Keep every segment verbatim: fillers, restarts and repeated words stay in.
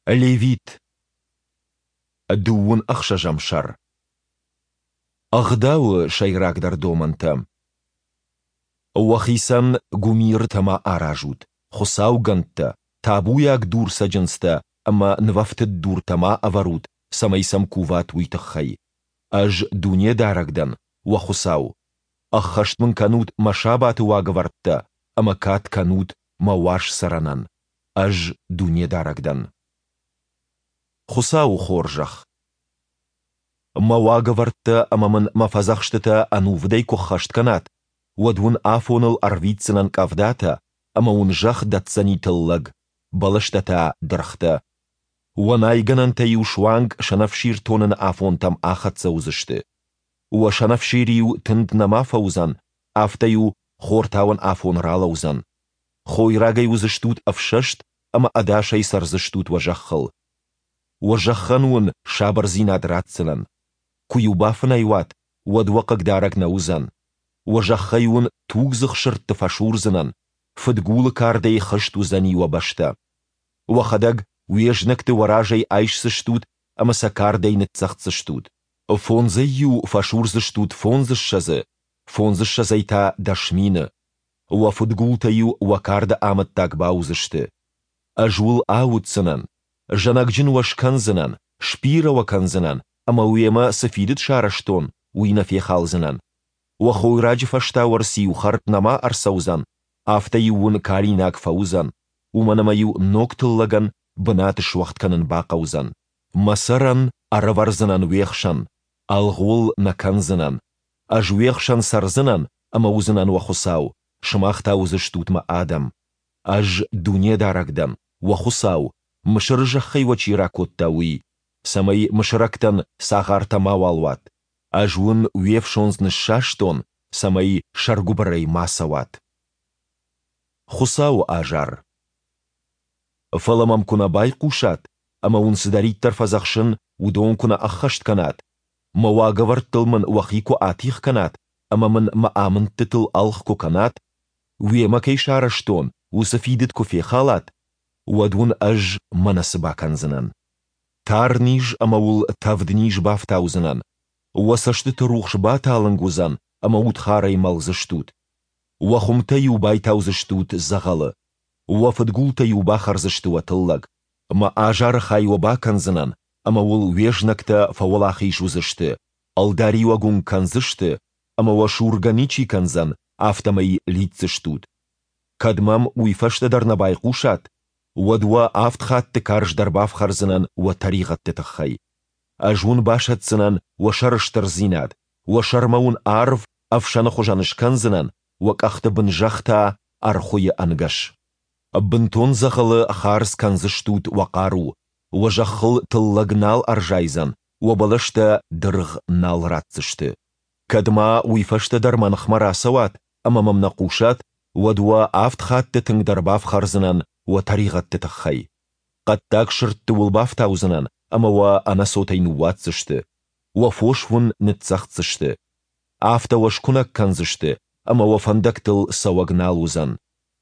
Левит. Дыууын ӕхсӕзӕм сӕр. Ӕгъдауы сӕйрагдӕр домӕнтӕ. Уӕхицӕн гуымирытӕ ма аразут, хуыцаугӕндтӕ, табуйаг дурцӕджындзтӕ ӕмӕ нывӕфтыд дуртӕ ма ӕвӕрут, цӕмӕй сӕм куват, уый тыххӕй. Ӕз Дунедарӕг дӕн, уӕ Хуыцау. Ӕххӕст мын кӕнут мӕ сабаты уагӕвӕрдтӕ ӕмӕ кад кӕнут мӕ уаз цӕрӕнӕн. Ӕз Дунедарӕг дӕн. Хуыцауы хорзӕх. Мӕ уагӕвӕрдтӕ ӕмӕ мын мӕ фӕдзӕхстытӕ ӕнувыдӕй куы ххӕст кӕнат, уӕд уын афоныл ӕрвитдзынӕн къӕвдатӕ, ӕмӕ уын зӕхх дӕтдзӕни тыллӕг, бӕлӕстӕ та дыргътӕ. Уӕ найгӕнӕнтӕ-иу суанг сӕнӕфсир тоныны афонтӕм ахӕццӕ уыдзысты. Уӕ сӕнӕфсир-иу тынд нӕма фӕуыдзӕн, афтӕ-иу хортауӕн афон ралӕудзӕн. Хойрагӕй уыдзыстут ӕфсӕст ӕмӕ ӕдасӕй цӕрдзыстут уӕ зӕххыл. Уӕ зӕххӕн уын сабырдзинад ратдзынӕн. Куы-иу бафынӕй уат, уӕд уӕ хъыгдарӕг нӕ уыдзӕн. Уӕ зӕххӕй уын тугдзых сырдты фӕсурдзынӕн, фыдгулы кардӕй хызт уыдзӕни уӕ бӕстӕ. Уӕхӕдӕг уе знӕгты уӕ разӕй айсдзыстут ӕмӕ сӕ кардӕй ныццӕгъддзыстут. Фондзӕй-иу фӕсурдзыстут фондзыссӕдзы, фондзыссӕдзӕй та дӕс мины. Уӕ фыдгултӕ-иу уӕ карды амӕттаг бауыдзысты. Ӕз уыл ауддзынӕн, зӕнӕгджын уӕ скӕндзынӕн, сбирӕ уӕ кӕндзынӕн ӕмӕ уемӕ цы фидыд сарӕзтон, уый нӕ фехалдзынӕн. Уӕ хойраджы фӕстауӕрц-иу хӕрд нӕма ӕрцӕудзӕн, афтӕ-иу уын калинаг фӕуыдзӕн, уымӕн ӕмӕ-иу ног тыллӕгӕн бынат суӕгъд кӕнын бахъӕудзӕн. Мӕ цӕрӕн ӕрӕвӕрдзынӕн уе хсӕн, ӕлгъ уыл нӕ кӕндзынӕн. Ӕз уе хсӕн цӕрдзынӕн ӕмӕ уыдзынӕн уӕ Хуыцау, сымах та уыдзыстут мӕ адӕм. Ӕз Дунедарӕг дӕн, уӕ Хуыцау, Мысыры зӕххӕй уӕ чи ракодта, уый, цӕмӕй мысырӕгтӕн цагъартӕ мауал уат. Ӕз уын уе фсондз ныссастон, цӕмӕй сӕргуыбырӕй ма цӕуат. Хуыцауы азар. Фӕлӕ мӕм куы нӕ байхъусат ӕмӕ уын цыдӕриддӕр фӕдзӕхсын, уыдон куы нӕ ӕххӕст кӕнат, мӕ уагӕвӕрдтыл мын уӕхи куы атигъ кӕнат ӕмӕ мын мӕ амындтытыл ӕлгъ куы кӕнат, уемӕ кӕй сарӕзтон, уыцы фидыд куы фехалат, уӕд уын ӕз мӕнӕ цы бакӕндзынӕн. Тарниз ӕмӕ уыл тӕвдниз бафтаудзынӕн, уӕ цӕстыты рухс баталынг уыдзӕн ӕмӕ удхарӕй мӕлдзыстут. Уӕ хуымтӕ-иу байтаудзыстут дзӕгъӕлы. Уӕ фыдгултӕ-иу бахӕрдзысты уӕ тыллӕг. Мӕ азары хай уӕ бакӕндзынӕн, ӕмӕ уыл уе знӕгтӕ фӕуӕлахиз уыдзысты, ӕлдариуӕг уын кӕндзысты, ӕмӕ уӕ сургӕ ничи кӕндзӕн, афтӕмӕй лидздзыстут. Кӕд мӕм уый фӕстӕ дӕр нӕ байхъусат, уӕд уӕ авд хатты карздӕр бафхӕрдзынӕн уӕ тӕригъӕдты тыххӕй. Ӕз уын басӕтдзынӕн уӕ сӕрыстырдзинад, уӕ сӕрмӕ уын арв ӕфсӕны хуызӕн скӕндзынӕн, уӕ къӕхты бын зӕхх та ӕрхуыйы ӕнгӕс. Бынтон дзӕгъӕлы хардз кӕндзыстут уӕ хъару, уӕ зӕххыл тыллӕг нал ӕрзайдзӕн, уӕ бӕлӕстӕ дыргъ нал ратдзысты. Кӕд ма уый фӕстӕ дӕр мӕ ныхмӕ рацӕуат ӕмӕ мӕм нӕ хъусат, уӕд уӕ авд хатты тынгдӕр бафхӕрдзынӕн уӕ тӕригъӕдты тыххӕй. Хъӕддаг сырдты уыл бафтаудзынӕн ӕмӕ уӕ ӕнӕцотӕй ныууадздзысты. Уӕ фос уын ныццӕгъддзысты. Афтӕ уӕ скуынӕг кӕндзысты, ӕмӕ уӕ фӕндӕгтыл цӕуӕг нал уыдзӕн.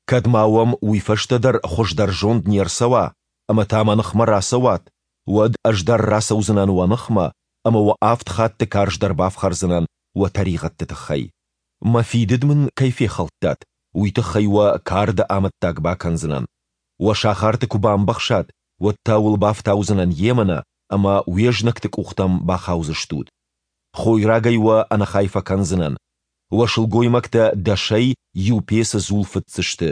Кӕд ма уӕм уый фӕстӕ дӕр хуыздӕр зонд не рцӕуа, ӕмӕ та мӕ ныхмӕ рацӕуат, уӕд ӕз дӕр рацӕудзынӕн уӕ ныхмӕ ӕмӕ уӕ авд хатты карздӕр бафхӕрдзынӕн уӕ тӕригъӕдты тыххӕй. Мӕ фидыд мын кӕй фехӕлдтат, уый тыххӕй уӕ карды амӕттаг бакӕндзынӕн. Уӕ сахарты куы бамбӕхсат, уӕд та уыл бафтаудзынӕн емынӕ ӕмӕ уе знӕгты къухтӕм бахаудзыстут. Хойрагӕй уӕ ӕнӕхай фӕкӕндзынӕн. Уӕ сылгоймӕгтӕ дӕсӕй иу пецы дзул фыцдзысты.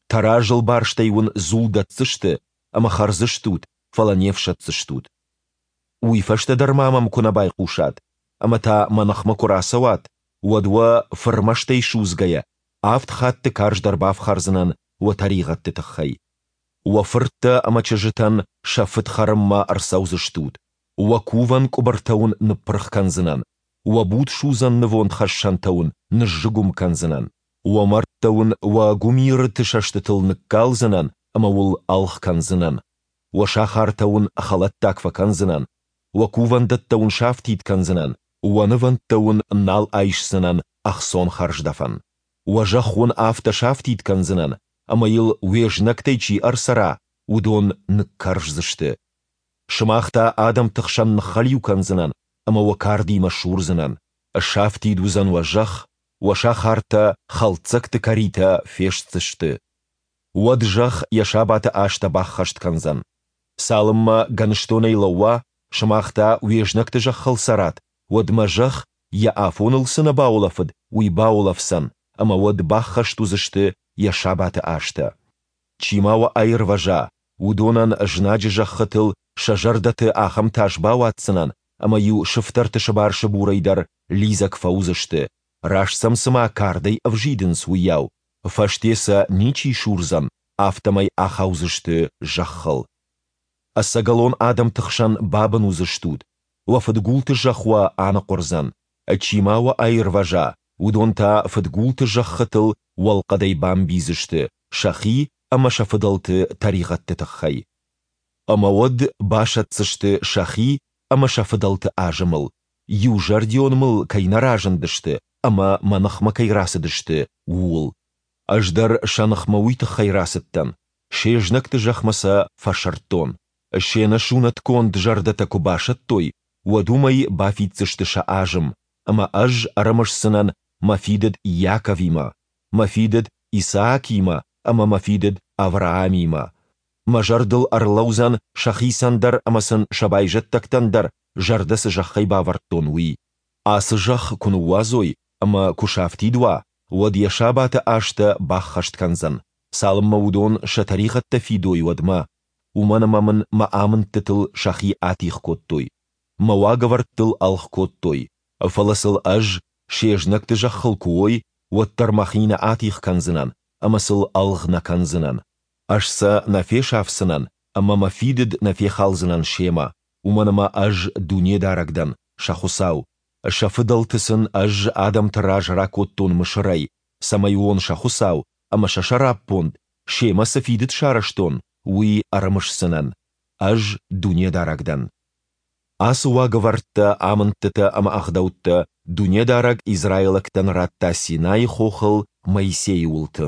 Тӕразыл барстӕй уын дзул дӕтдзысты ӕмӕ хӕрдзыстут, фӕлӕ не фсӕддзыстут. Уый фӕстӕ дӕр ма мӕм куы нӕ байхъусат ӕмӕ та мӕ ныхмӕ куы рацӕуат, уӕд уӕ, фырмӕстӕй судзгӕйӕ, авд хатты карздӕр бафхӕрдзынӕн уӕ тӕригъӕдты тыххӕй. Уӕ фырттӕ ӕмӕ чызджытӕн сӕ фыд хӕрынмӕ ӕрцӕудзыстут, уӕ кувӕн къуыбыртӕ уын ныппырх кӕндзынӕн, уӕ будсудзӕн нывондхӕссӕнтӕ уын ныззыгуым кӕндзынӕн, уӕ мӕрдтӕ уын уӕ гуымирыты сӕстытыл ныккалдзынӕн ӕмӕ уыл ӕлгъ кӕндзынӕн, уӕ сахартӕ уын хӕлӕттаг фӕкӕндзынӕн, уӕ кувӕндӕттӕ уын сафтид кӕндзынӕн, уӕ нывӕндтӕ уын нал айсдзынӕн ӕхцон хӕрздӕфӕн. Уӕ зӕхх уын афтӕ сафтид кӕндзынӕн, ӕмӕ йыл уе знӕгтӕй чи ӕрцӕра, уыдон ныккӕрздзысты. Сымах та адӕмты хсӕн ныххӕлиу кӕндзынӕн ӕмӕ уӕ кардимӕ сурдзынӕн. Сафтид уыдзӕн уӕ зӕхх, уӕ сахартӕ хӕлддзӕгты кӕритӕ фестдзысты. Уӕд зӕхх йӕ сабаты азтӕ баххӕст кӕндзӕн. Цалынмӕ гӕныстонӕй лӕууа, сымах та уе знӕгты зӕххыл цӕрат, уӕдмӕ зӕхх, йӕ афоныл цы нӕ баулӕфыд, уый баулӕфдзӕн, ӕмӕ уӕд баххӕст уыдзысты йӕ сабаты азтӕ. Чи ма уӕ аирвӕза, уыдонӕн знаджы зӕххытыл сӕ зӕрдӕты ахӕм тас бауадздзынӕн, ӕмӕ-иу сыфтӕрты сыбар-сыбурӕй дӕр лидзӕг фӕуыдзысты, раст сӕм цыма кардӕй ӕвзидынц, уыйау, фӕсте сӕ ничи сурдзӕн, афтӕмӕй ахаудзысты зӕххыл. Ӕцӕгӕлон адӕмты хсӕн бабын уыдзыстут, уӕ фыдгулты зӕхх уӕ аныхъуырдзӕн, чи ма уӕ аирвӕза, уыдон та фыдгулты зӕххытыл уӕлхъӕдӕй бамбийдзысты сӕхи ӕмӕ сӕ фыдӕлты тӕригъӕдты тыххӕй. Ӕмӕ уӕд басӕтдзысты сӕхи ӕмӕ сӕ фыдӕлты азымыл, иузӕрдион мыл кӕй нӕ разындысты ӕмӕ мӕ ныхмӕ кӕй рацыдысты, ууыл. Ӕз дӕр сӕ ныхмӕ уый тыххӕй рацыдтӕн, се знӕгты зӕхмӕ сӕ фӕсырдтон. Се нӕсунӕтгонд зӕрдӕтӕ куы басӕттой, уӕд уымӕй бафиддзысты сӕ азым, ӕмӕ Ӕз ӕрымысдзынӕн Мӕ фидыд Иаковимӕ, Мӕ фидыд Исаакимӕ ӕмӕ Мӕ фидыд Авраамимӕ. Мӕ зӕрдыл ӕрлӕудзӕн сӕхицӕн дӕр ӕмӕ сын сӕ байзӕддӕгтӕн дӕр зӕрдӕ цы зӕххӕй бавӕрдтон, уый. Ацы зӕхх куы ныууадзой ӕмӕ куы сафтид уа, уӕд йӕ сабаты азтӕ баххӕст кӕндзӕн, цалынмӕ уыдон сӕ тӕригъӕдтӕ фидой, уӕдмӕ, уымӕн ӕмӕ мын мӕ амындтытыл сӕхи атигъ кодтой, мӕ уагӕвӕрдтыл ӕлгъ кодтой. Фӕлӕ сыл ӕз, се знӕгты зӕххыл куы уой, уӕддӕр мӕхи нӕ атигъ кӕндзынӕн ӕмӕ сыл ӕлгъ нӕ кӕндзынӕн. Ӕз сӕ нӕ фесафдзынӕн ӕмӕ мӕ фидыд нӕ фехалдзынӕн семӕ, уымӕн ӕмӕ Ӕз Дунедарӕг дӕн, сӕ Хуыцау. Сӕ фыдӕлты сын Ӕз адӕмты раз ракодтон Мысырӕй, цӕмӕй уон сӕ Хуыцау, ӕмӕ сӕ сӕраппонд, семӕ цы фидыд сарӕзтон, уый ӕрымысдзынӕн. Ӕз Дунедарӕг дӕн. Ацы уагӕвӕрдтӕ, амындтытӕ ӕмӕ ӕгъдӕуттӕ Дунедарӕг израилӕгтӕн радта Синайы хохыл Моисейы уылты.